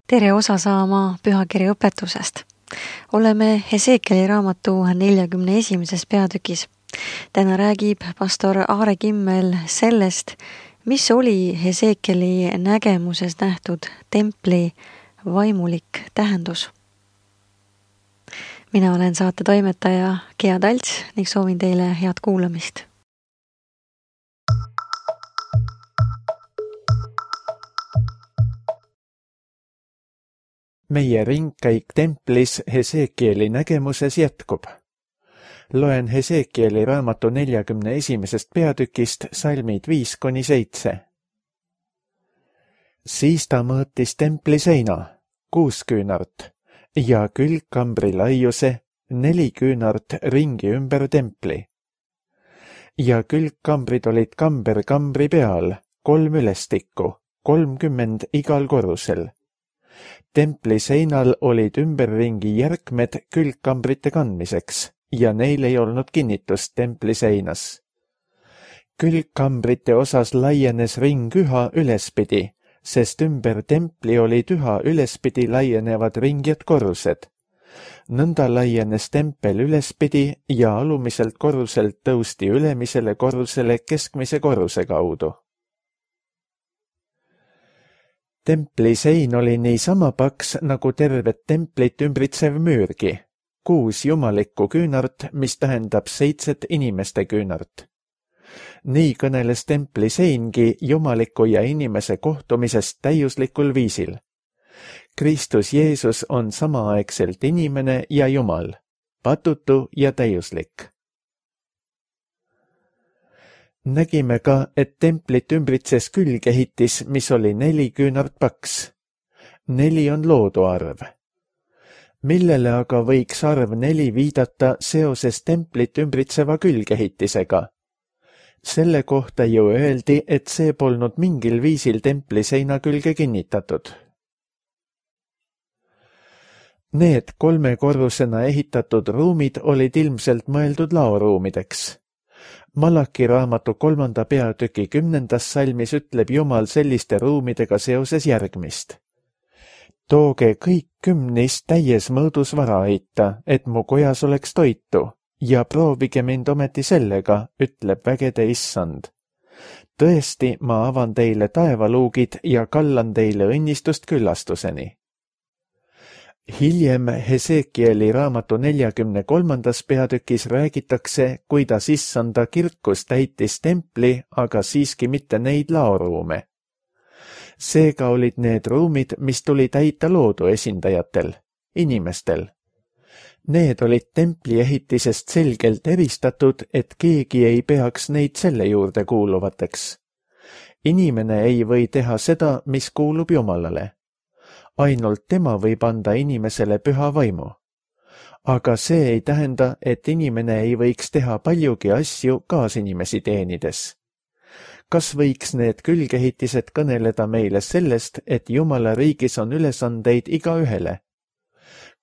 Tere osa saama pühakirja õpetusest. Oleme Hesekieli raamatu 41. peatükis. Täna räägib pastor Aare Kimmel sellest, mis oli Hesekieli nägemuses nähtud templi vaimulik tähendus. Mina olen saate toimetaja Gea Talts ning soovin teile head kuulamist. Meie ringkäik templis Hesekieli nägemuses jätkub. Loen Hesekieli raamatu 41. peatükist salmid 5-7. Siis ta mõõtis templi seina, 6 küünart, ja külgkambri laiuse 4 küünart ringi ümber templi. Ja külgkambrid olid kamber kambri peal, 3 ülestikku, 30 igal korrusel. Templi seinal olid ümberringi järkmed külgkambrite kandmiseks ja neil ei olnud kinnitust templi seinas. Külgkambrite osas laienes ring üha ülespidi, sest ümber templi olid üha ülespidi laienevad ringjad korrused. Nõnda laienes tempel ülespidi ja alumiselt korruselt tõusti ülemisele korrusele keskmise korruse kaudu. Templi sein oli niisama paks nagu tervet templit ümbritsev müürgi, 6 jumalikku küünart, mis tähendab 7 inimeste küünart. Nii kõneles templi seingi jumaliku ja inimese kohtumisest täiuslikul viisil. Kristus Jeesus on samaaegselt inimene ja Jumal, patutu ja täiuslik. Nägime ka, et templit ümbritses külgehitis, mis oli 4 küünart paks. 4 on loodu arv. Millele aga võiks arv 4 viidata seoses templit ümbritseva külgehitisega? Selle kohta ju öeldi, et see polnud mingil viisil templi seina külge kinnitatud. Need 3 korrusena ehitatud ruumid olid ilmselt mõeldud laoruumideks. Malaki raamatu 3. peatüki 10. salmis ütleb Jumal selliste ruumidega seoses järgmist. Tooge kõik kümnist täies mõõdus vara heita, et mu kojas oleks toitu, ja proovige mind ometi sellega, ütleb vägede issand. Tõesti, ma avan teile taevaluugid ja kallan teile õnnistust küllastuseni. Hiljem Hesekieli raamatu 43. peatükis räägitakse, kuidas issanda kirkus täitis templi, aga siiski mitte neid laoruume. Seega olid need ruumid, mis tuli täita loodu esindajatel, inimestel. Need olid templi ehitisest selgelt eristatud, et keegi ei peaks neid selle juurde kuuluvateks. Inimene ei või teha seda, mis kuulub Jumalale. Ainult tema võib anda inimesele püha vaimu. Aga see ei tähenda, et inimene ei võiks teha paljugi asju kaasinimesi teenides. Kas võiks need külgehitised kõneleda meile sellest, et Jumala riigis on ülesandeid igaühele?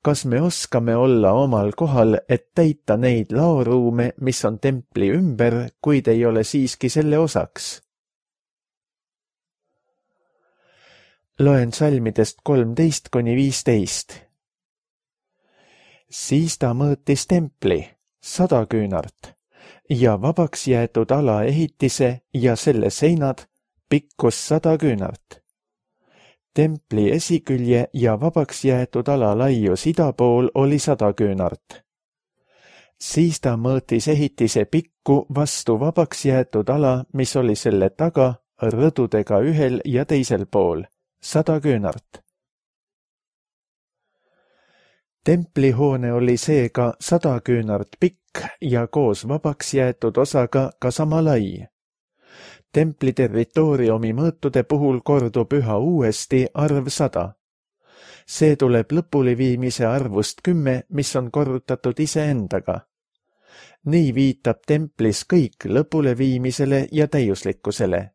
Kas me oskame olla omal kohal, et täita neid laoruume, mis on templi ümber, kuid ei ole siiski selle osaks? Loen salmidest 13-15. Siis ta mõõtis templi, 100 küünart, ja vabaks jäetud ala ehitise ja selle seinad pikkus 100 küünart. Templi esikülje ja vabaks jäetud ala laius ida pool oli 100 küünart. Siis ta mõõtis ehitise pikku vastu vabaks jäetud ala, mis oli selle taga rõdudega ühel ja teisel pool, 100 küünart. Templihoone oli seega 100 küünart pikk ja koos vabaks jäetud osaga ka sama lai. Templi territooriumi mõõtude puhul kordub üha uuesti arv 100. See tuleb lõpuleviimise arvust 10, mis on korrutatud iseendaga. Nii viitab templis kõik lõpuleviimisele ja täiuslikkusele.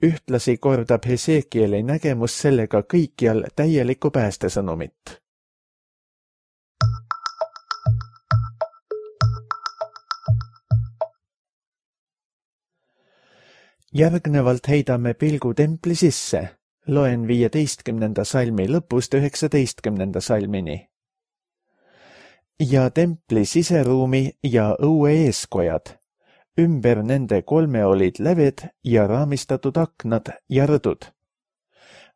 Ühtlasi kordab Hesekieli nägemus sellega kõikjal täielikku päästesõnumit. Järgnevalt heidame pilgu templi sisse, Loen 15. salmi lõpust 19. salmini. Ja templi siseruumi ja õue eeskojad. Ümber nende 3 olid läved ja raamistatud aknad ja rõdud.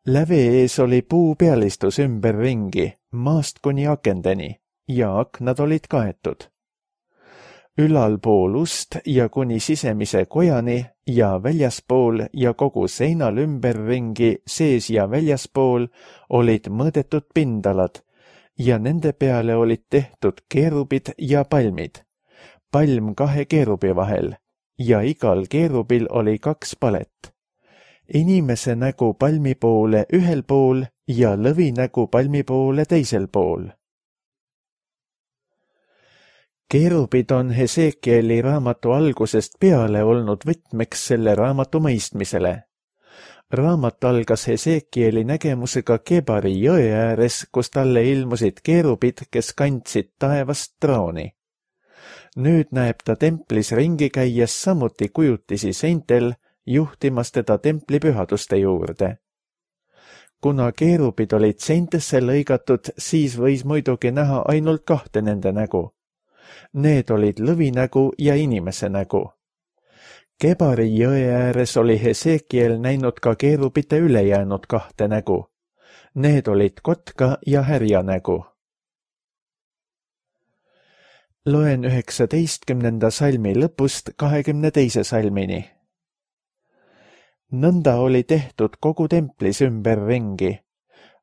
Läve ees oli puupealistus ümberringi, maast kuni akendeni, ja aknad olid kaetud. Ülalpool ust ja kuni sisemise kojani ja väljaspool ja kogu seinal ümberringi, sees ja väljaspool, olid mõõdetud pindalad ja nende peale olid tehtud keerubid ja palmid, palm 2 keerubi vahel ja igal keerubil oli 2 palet. Inimese nägu palmi poole ühel pool ja lõvi nägu palmi poole teisel pool. Keerubid on Hesekieli raamatu algusest peale olnud võtmeks selle raamatu mõistmisele. Raamat algas Hesekieli nägemusega Kebari jõe ääres, kus talle ilmusid keerubid, kes kandsid taevast trooni. Nüüd näeb ta templis ringi käies samuti kujutisi seintel, juhtimas teda templi pühaduste juurde. Kuna keerubid olid seintesse lõigatud, siis võis muidugi näha ainult 2 nende nägu. Need olid lõvinägu ja inimese nägu. Kebari jõe ääres oli Hesekiel näinud ka keerubite ülejäänud 2 nägu. Need olid kotka ja härja nägu. Loen 19. salmi lõpust 22. salmini. Nõnda oli tehtud kogu templis ümberringi.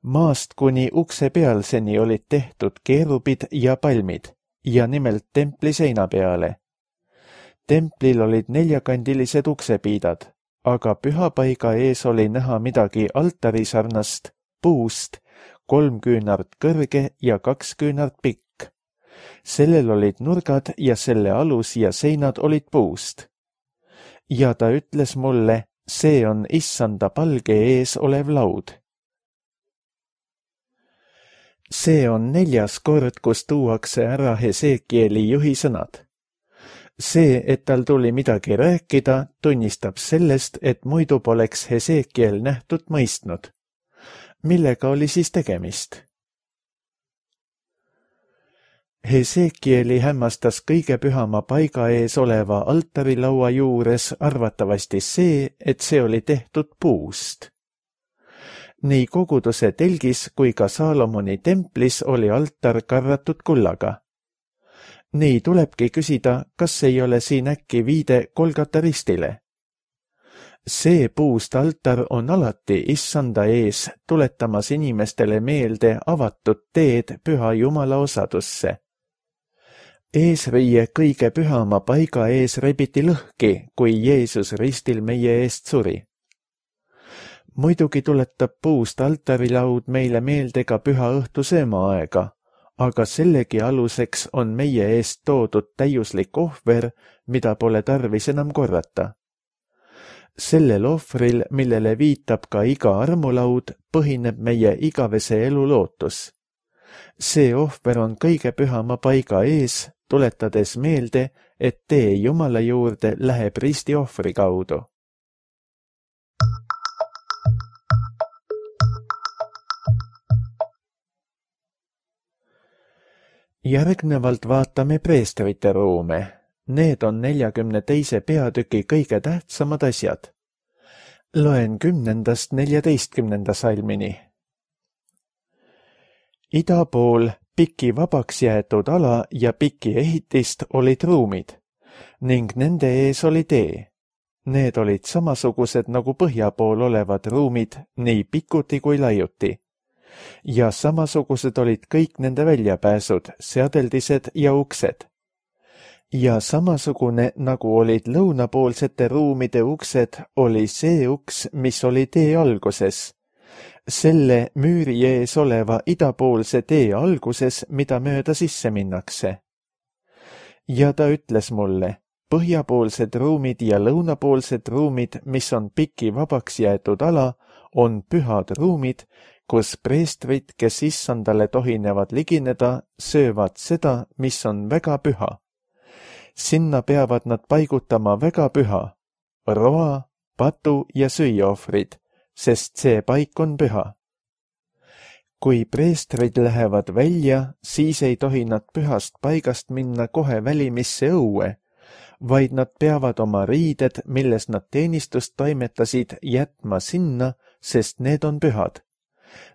Maast kuni ukse pealseni olid tehtud keerubid ja palmid, ja nimelt templi seina peale. Templil olid 4-kandilised uksepiidad, aga pühapaiga ees oli näha midagi altari sarnast, puust, 3 küünart kõrge ja 2 küünart pikk. Sellel olid nurgad ja selle alus ja seinad olid puust. Ja ta ütles mulle, see on issanda palge ees olev laud. See on 4. kord, kus tuuakse ära Hesekieli juhi sõnad. See, et tal tuli midagi rääkida, tunnistab sellest, et muidu poleks Hesekiel nähtut mõistnud. Millega oli siis tegemist? Hesekieli hämmastas kõige pühama paiga ees oleva altarilaua juures arvatavasti see, et see oli tehtud puust. Nii koguduse telgis kui ka Saalomoni templis oli altar karratud kullaga. Nii tulebki küsida, kas ei ole siin äkki viide Golgata ristile. See puust altar on alati issanda ees, tuletamas inimestele meelde avatud teed püha Jumala osadusse. Eesriie kõige pühama paiga ees rebiti lõhki, kui Jeesus ristil meie eest suri. Muidugi tuletab puust altarilaud meile meelde ka püha õhtu söömaaega, aga sellegi aluseks on meie eest toodud täiuslik ohver, mida pole tarvis enam korrata. Sellel ohvril, millele viitab ka iga armulaud, põhineb meie igavese elu lootus. See ohver on kõige pühama paiga ees, tuletades meelde, et tee Jumala juurde läheb risti ohvri kaudu. Järgnevalt vaatame preestrite ruume. Need on 42. peatüki kõige tähtsamad asjad. Loen 10.–14. salmini. Ida pool piki vabaks jäetud ala ja piki ehitist olid ruumid ning nende ees oli tee. Need olid samasugused nagu põhja pool olevad ruumid, nii pikuti kui laiuti. Ja samasugused olid kõik nende väljapääsud, seadeldised ja uksed. Ja samasugune, nagu olid lõunapoolsete ruumide uksed, oli see uks, mis oli tee alguses. Selle müüri ees oleva idapoolse tee alguses, mida mööda sisse minnakse. Ja ta ütles mulle, põhjapoolsed ruumid ja lõunapoolsed ruumid, mis on piki vabaks jäetud ala, on pühad ruumid, kus preestrid, kes issandale tohinevad ligineda, söövad seda, mis on väga püha. Sinna peavad nad paigutama väga püha, roa, patu ja süüaohvrid, sest see paik on püha. Kui preestrid lähevad välja, siis ei tohi nad pühast paigast minna kohe välimisse õue, vaid nad peavad oma riided, milles nad teenistust toimetasid, jätma sinna, sest need on pühad.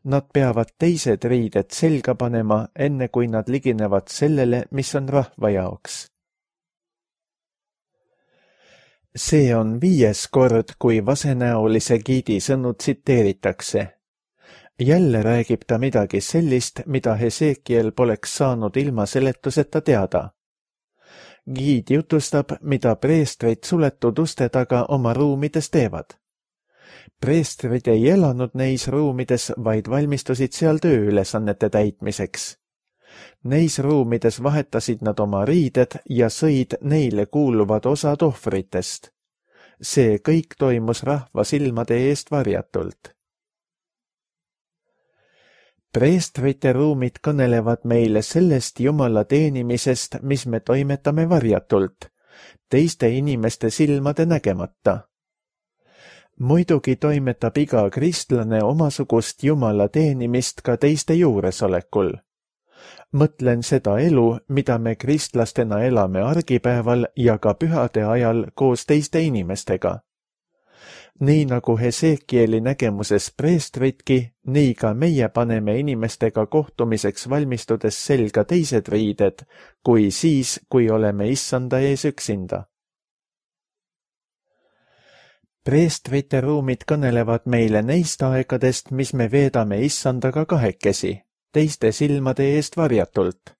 Nad peavad teised riided selga panema, enne kui nad liginevad sellele, mis on rahva jaoks. See on 5. kord, kui vasenäolise giidi sõnu tsiteeritakse. Jälle räägib ta midagi sellist, mida Hesekiel poleks saanud ilma seletuseta teada. Giid jutustab, mida preestrid suletud uste taga oma ruumides teevad. Preestrid ei elanud neis ruumides, vaid valmistusid seal tööülesannete täitmiseks. Neis ruumides vahetasid nad oma riided ja sõid neile kuuluvad osad ohvritest. See kõik toimus rahva silmade eest varjatult. Preestrite ruumid kõnelevad meile sellest Jumala teenimisest, mis me toimetame varjatult, teiste inimeste silmade nägemata. Muidugi toimetab iga kristlane omasugust Jumala teenimist ka teiste juuresolekul. Mõtlen seda elu, mida me kristlastena elame argipäeval ja ka pühade ajal koos teiste inimestega. Nii nagu Hesekieli nägemuses preestridki, nii ka meie paneme inimestega kohtumiseks valmistudes selga teised riided, kui siis, kui oleme issanda ees üksinda. Preestrite ruumid kõnelevad meile neist aegadest, mis me veedame issandaga kahekesi, teiste silmade eest varjatult.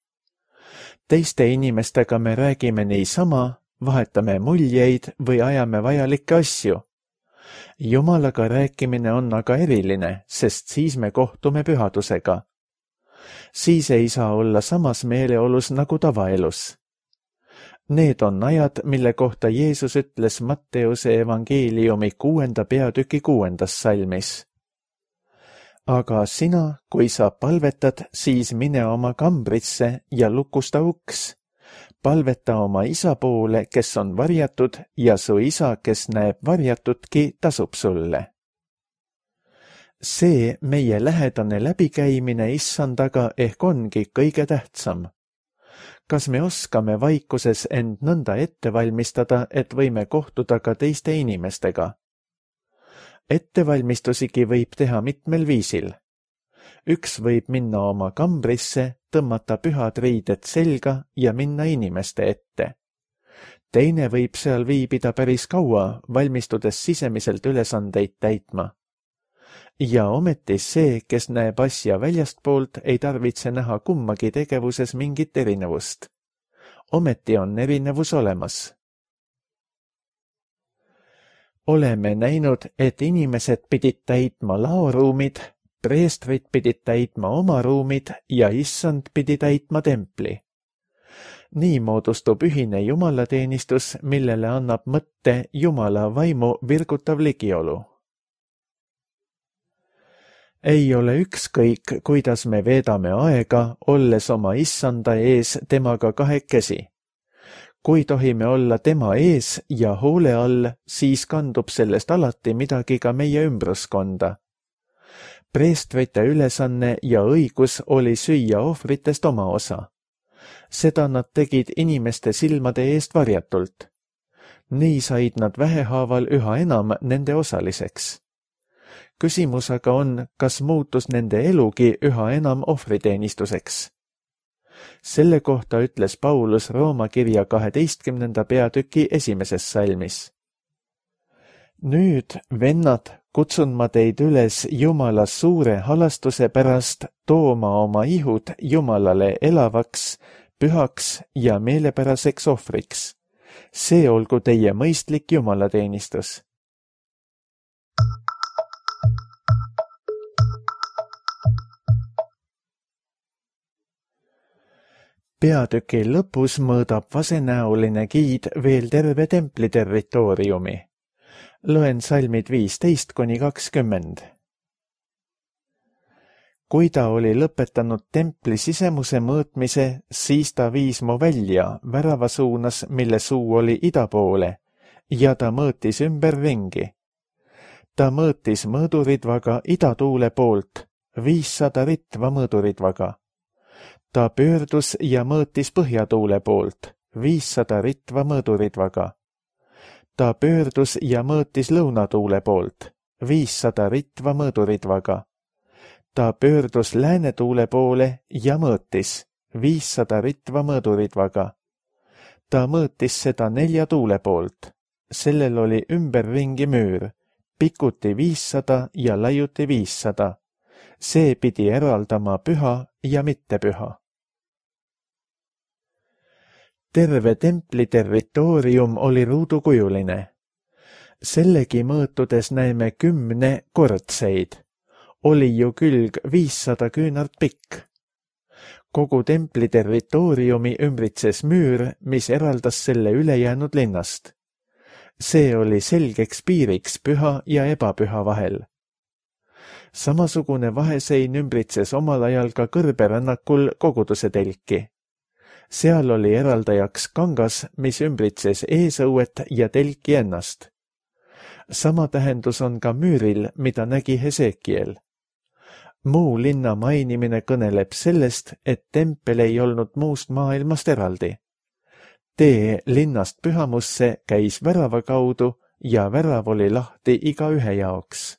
Teiste inimestega me räägime niisama, vahetame muljeid või ajame vajalikke asju. Jumalaga rääkimine on aga eriline, sest siis me kohtume pühadusega. Siis ei saa olla samas meeleolus nagu tavaelus. Need on ajad, mille kohta Jeesus ütles Matteuse evangeeliumi 6. peatüki 6. salmis. Aga sina, kui sa palvetad, siis mine oma kambrisse ja lukusta uks. Palveta oma isa poole, kes on varjatud, ja su isa, kes näeb varjatutki, tasub sulle. See meie lähedane läbikäimine issandaga ehk ongi kõige tähtsam. Kas me oskame vaikuses end nõnda ette valmistada, et võime kohtuda ka teiste inimestega? Ettevalmistusigi võib teha mitmel viisil. Üks võib minna oma kambrisse, tõmmata pühad riided selga ja minna inimeste ette. Teine võib seal viibida päris kaua, valmistudes sisemiselt ülesandeid täitma. Ja ometi see, kes näeb asja väljastpoolt, ei tarvitse näha kummagi tegevuses mingit erinevust. Ometi on erinevus olemas. Oleme näinud, et inimesed pidid täitma laoruumid, preestrid pidid täitma oma ruumid ja issand pidi täitma templi. Nii moodustub ühine jumalateenistus, millele annab mõtte Jumala vaimu virgutav ligiolu. Ei ole ükskõik, kuidas me veedame aega, olles oma issanda ees temaga kahekesi. Kui tohime olla tema ees ja hoole all, siis kandub sellest alati midagi ka meie ümbruskonda. Preestrite ülesanne ja õigus oli süüa ohvritest oma osa. Seda nad tegid inimeste silmade eest varjatult. Nii said nad vähehaaval üha enam nende osaliseks. Küsimus aga on, kas muutus nende elugi üha enam ohvriteenistuseks. Selle kohta ütles Paulus Rooma kirja 12. peatüki 1. salmis. Nüüd, vennad, kutsun ma teid üles Jumala suure halastuse pärast tooma oma ihud Jumalale elavaks, pühaks ja meelepäraseks ohvriks. See olgu teie mõistlik jumalateenistus. Peatüki lõpus mõõdab vasenäoline giid veel terve templi territooriumi. Loen salmid 15–20. Kui ta oli lõpetanud templi sisemuse mõõtmise, siis ta viis mu välja värava suunas, mille suu oli ida poole, ja ta mõõtis ümberringi. Ta mõõtis mõõduridvaga idatuule poolt 500 ritva mõõduridvaga. Ta pöördus ja mõõtis põhjatuule poolt 500 ritva mõõduridvaga. Ta pöördus ja mõõtis lõunatuule poolt 500 ritva mõõduridvaga. Ta pöördus läänetuule poole ja mõõtis 500 ritva mõõduridvaga. Ta mõõtis seda 4 tuule poolt. Sellel oli ümberringi müür, pikuti 500 ja laiuti 500. See pidi eraldama püha ja mittepüha. Terve templi territoorium oli ruudukujuline. Sellegi mõõtudes näeme 10 kordseid. Oli ju külg 500 küünart pikk. Kogu templi territooriumi ümbritses müür, mis eraldas selle ülejäänud linnast. See oli selgeks piiriks püha ja ebapüha vahel. Samasugune vahesein ümbritses omal ajal ka kõrberännakul koguduse telki. Seal oli eraldajaks kangas, mis ümbritses eesõuet ja telki ennast. Sama tähendus on ka müüril, mida nägi Hesekiel. Muu linna mainimine kõneleb sellest, et tempel ei olnud muust maailmast eraldi. Tee linnast pühamusse käis värava kaudu ja värav oli lahti igaühe jaoks.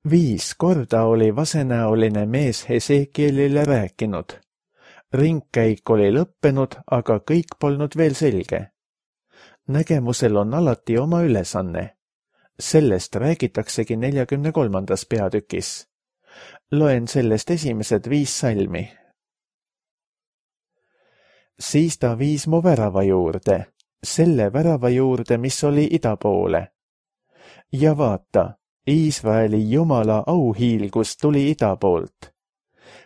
Viis korda oli vasenäoline mees Hesekielile rääkinud. Ringkäik oli lõppenud, aga kõik polnud veel selge. Nägemusel on alati oma ülesanne. Sellest räägitaksegi 43. peatükis. Loen sellest esimesed 5 salmi. Siis ta viis mu värava juurde, selle värava juurde, mis oli ida poole. Ja vaata, Iisraeli Jumala auhiilgus tuli ida poolt.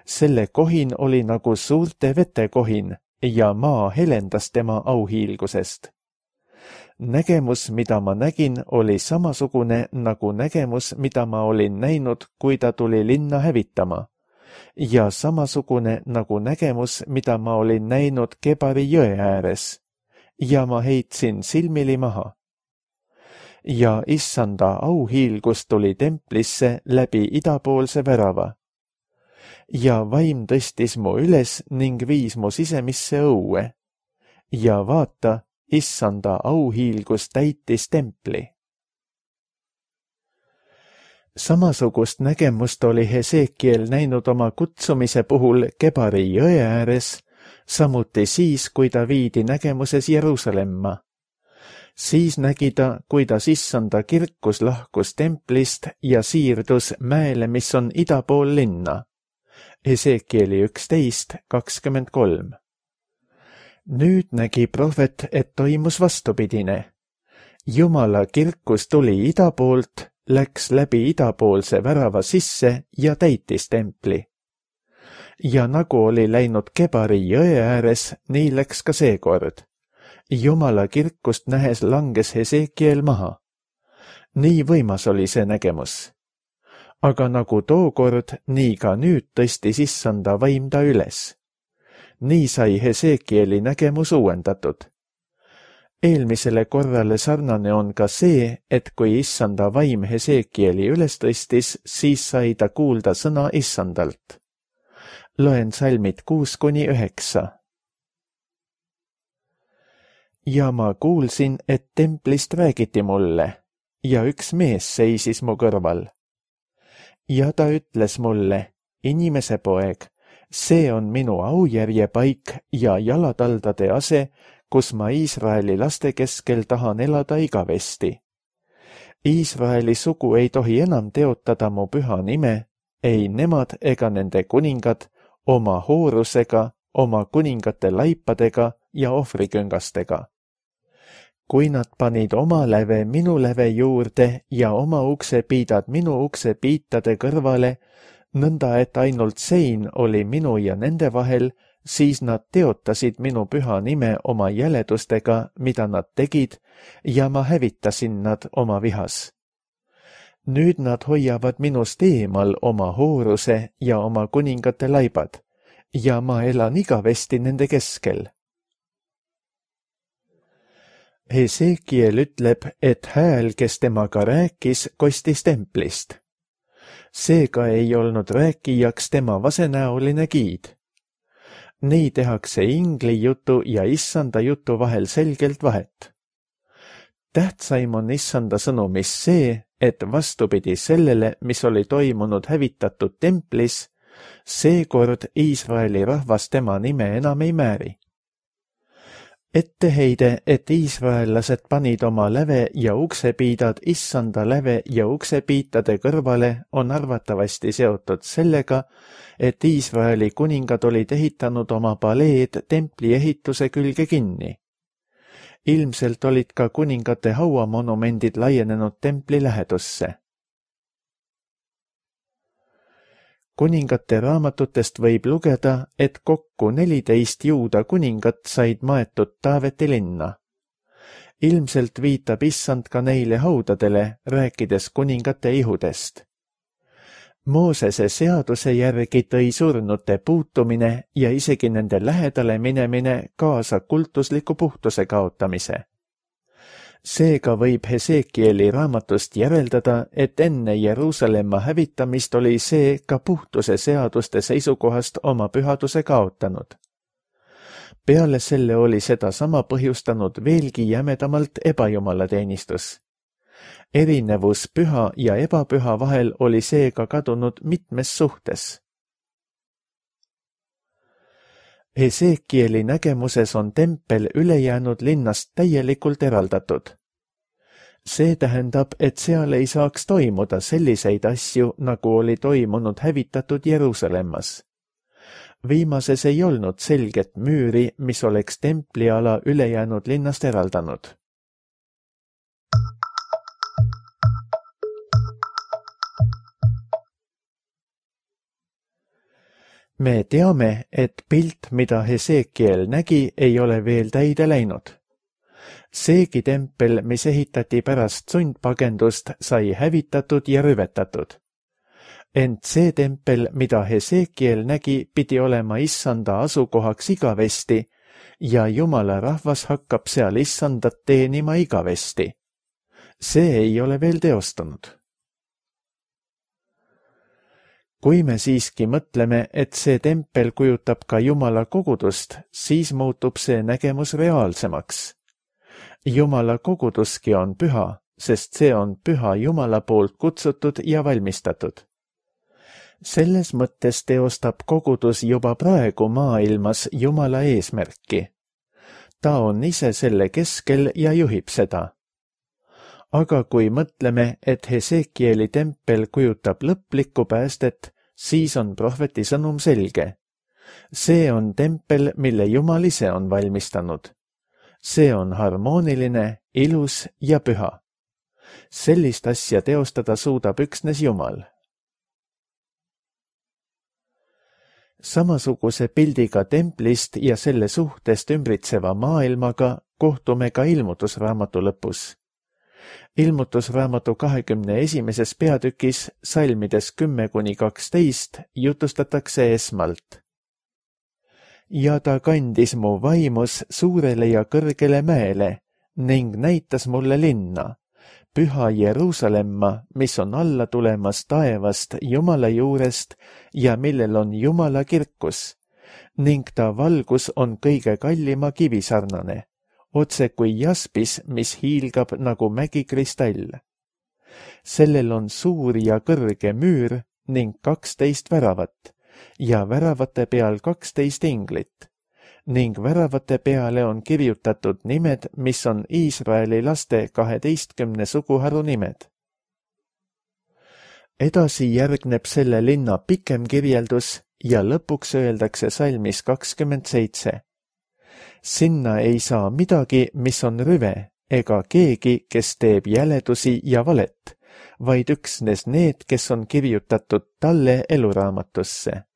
Selle kohin oli nagu suurte vete kohin ja maa helendas tema auhiilgusest. Nägemus, mida ma nägin, oli samasugune nagu nägemus, mida ma olin näinud, kui ta tuli linna hävitama, ja samasugune nagu nägemus, mida ma olin näinud Kebari jõe ääres, ja ma heitsin silmili maha. Ja issanda auhiilgus tuli templisse läbi idapoolse värava. Ja vaim tõstis mu üles ning viis mu sisemisse õue. Ja vaata, issanda auhiilgus täitis templi. Samasugust nägemust oli Hesekiel näinud oma kutsumise puhul Kebari jõe ääres, samuti siis, kui ta viidi nägemuses Jeruusalemma. Siis nägi ta, kuidas issanda kirkus lahkus templist ja siirdus mäele, mis on ida pool linna. Hesekieli 11:23. Nüüd nägi prohvet, et toimus vastupidine. Jumala kirkus tuli ida poolt, läks läbi idapoolse värava sisse ja täitis templi. Ja nagu oli läinud Kebari jõe ääres, nii läks ka seekord. Jumala kirkust nähes langes Hesekiel maha. Nii võimas oli see nägemus. Aga nagu tookord, nii ka nüüd tõstis issanda vaim ta üles. Nii sai Hesekieli nägemus uuendatud. Eelmisele korrale sarnane on ka see, et kui issanda vaim Hesekieli üles tõstis, siis sai ta kuulda sõna issandalt. Loen salmid 6-9. Ja ma kuulsin, et templist räägiti mulle, ja üks mees seisis mu kõrval. Ja ta ütles mulle, inimese poeg, see on minu aujärjepaik ja jalataldade ase, kus ma Iisraeli laste keskel tahan elada igavesti. Iisraeli sugu ei tohi enam teotada mu püha nime, ei nemad ega nende kuningad, oma hoorusega, oma kuningate laipadega ja ohvriküngastega. Kui nad panid oma läve minu läve juurde ja oma uksepiidad minu uksepiitade kõrvale, nõnda et ainult sein oli minu ja nende vahel, siis nad teotasid minu püha nime oma jäledustega, mida nad tegid, ja ma hävitasin nad oma vihas. Nüüd nad hoiavad minust eemal oma hooruse ja oma kuningate laibad, ja ma elan igavesti nende keskel. Hesekiel ütleb, et hääl, kes temaga rääkis, kostis templist. Seega ei olnud rääkijaks tema vasenäoline giid. Nii tehakse ingli jutu ja issanda jutu vahel selgelt vahet. Tähtsaim on issanda sõnumis see, et vastupidi sellele, mis oli toimunud hävitatud templis, seekord Iisraeli rahvas tema nime enam ei määri. Etteheide, et iisraellased panid oma läve ja uksepiidad issanda läve ja uksepiitade kõrvale, on arvatavasti seotud sellega, et Iisraeli kuningad olid ehitanud oma paleed templi ehituse külge kinni. Ilmselt olid ka kuningate hauamonumendid laienenud templi lähedusse. Kuningate raamatutest võib lugeda, et kokku 14 juuda kuningat said maetud Taaveti linna. Ilmselt viitab issand ka neile haudadele, rääkides kuningate ihudest. Moosese seaduse järgi tõi surnute puutumine ja isegi nende lähedale minemine kaasa kultusliku puhtuse kaotamise. Seega võib Hesekieli raamatust järeldada, et enne Jeruusalemma hävitamist oli see ka puhtuse seaduste seisukohast oma pühaduse kaotanud. Peale selle oli seda sama põhjustanud veelgi jämedamalt ebajumalateenistus. Erinevus püha ja ebapüha vahel oli seega kadunud mitmes suhtes. Hesekieli nägemuses on tempel ülejäänud linnast täielikult eraldatud. See tähendab, et seal ei saaks toimuda selliseid asju, nagu oli toimunud hävitatud Jeruusalemmas. Viimases ei olnud selget müüri, mis oleks templiala ülejäänud linnast eraldanud. Me teame, et pilt, mida Hesekiel nägi, ei ole veel täide läinud. Seegi tempel, mis ehitati pärast sundpagendust, sai hävitatud ja rüvetatud. Ent see tempel, mida Hesekiel nägi, pidi olema issanda asukohaks igavesti ja Jumala rahvas hakkab seal issandat teenima igavesti. See ei ole veel teostunud. Kui me siiski mõtleme, et see tempel kujutab ka Jumala kogudust, siis muutub see nägemus reaalsemaks. Jumala koguduski on püha, sest see on püha Jumala poolt kutsutud ja valmistatud. Selles mõttes teostab kogudus juba praegu maailmas Jumala eesmärki. Ta on ise selle keskel ja juhib seda. Aga kui mõtleme, et Hesekieli tempel kujutab lõplikku päästet, siis on prohveti sõnum selge. See on tempel, mille Jumal ise on valmistanud. See on harmooniline, ilus ja püha. Sellist asja teostada suudab üksnes Jumal. Samasuguse pildiga templist ja selle suhtest ümbritseva maailmaga kohtume ka ilmutusraamatu lõpus. Ilmutusraamatu 21. peatükis salmides 10-12 jutustatakse esmalt. Ja ta kandis mu vaimus suurele ja kõrgele mäele ning näitas mulle linna, püha Jeruusalemma, mis on alla tulemas taevast Jumala juurest ja millel on Jumala kirkus, ning ta valgus on kõige kallima kivisarnane, otse kui jaspis, mis hiilgab nagu mägikristall. Sellel on suur ja kõrge müür ning 12 väravat ja väravate peal 12 inglit ning väravate peale on kirjutatud nimed, mis on Iisraeli laste 12 suguharu nimed. Edasi järgneb selle linna pikem kirjeldus ja lõpuks öeldakse salmis 27. Sinna ei saa midagi, mis on rüve, ega keegi, kes teeb jäledusi ja valet, vaid üksnes need, kes on kirjutatud talle eluraamatusse.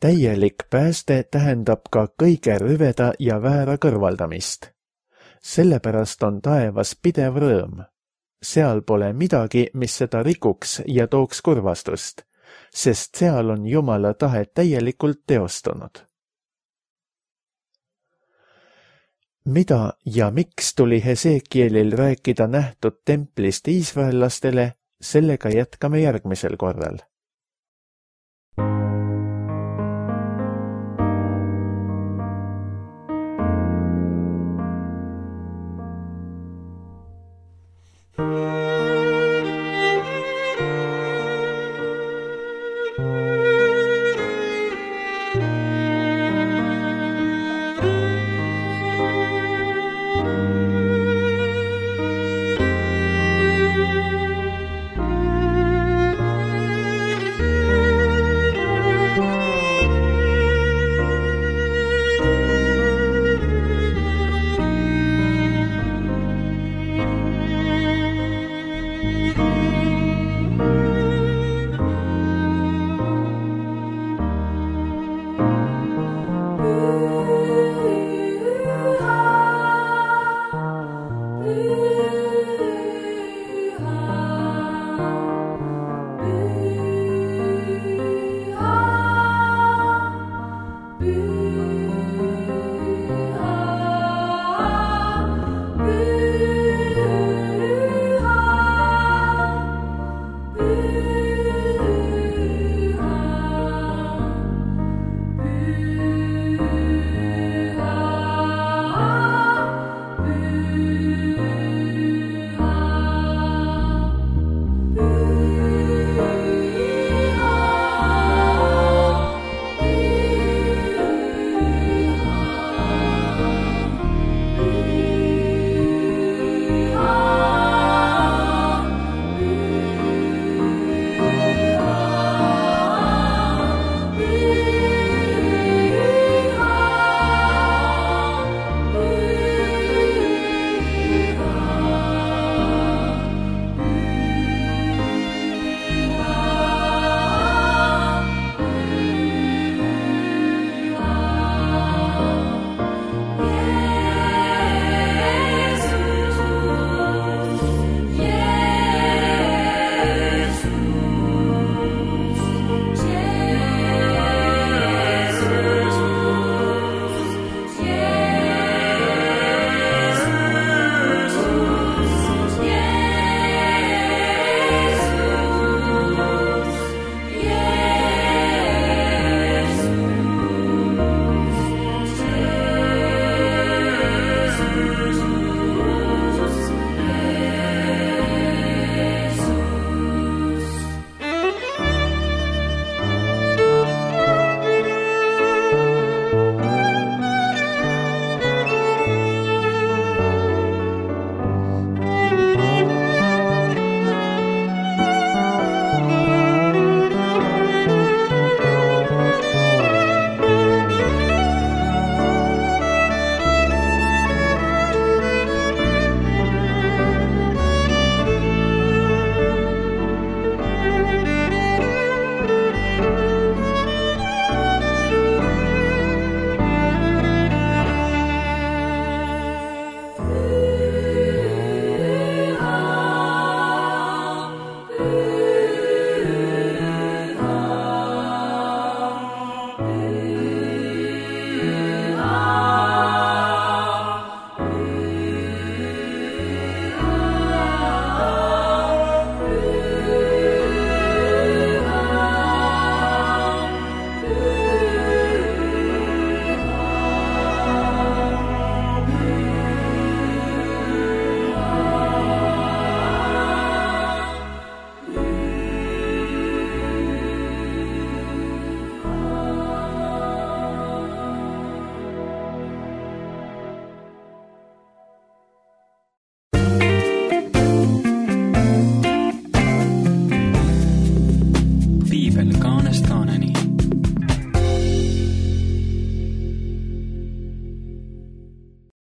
Täielik pääste tähendab ka kõige rüveda ja väära kõrvaldamist. Sellepärast on taevas pidev rõõm. Seal pole midagi, mis seda rikuks ja tooks kurvastust, sest seal on Jumala tahe täielikult teostunud. Mida ja miks tuli Hesekielil rääkida nähtud templist iisraellastele, sellega jätkame järgmisel korral.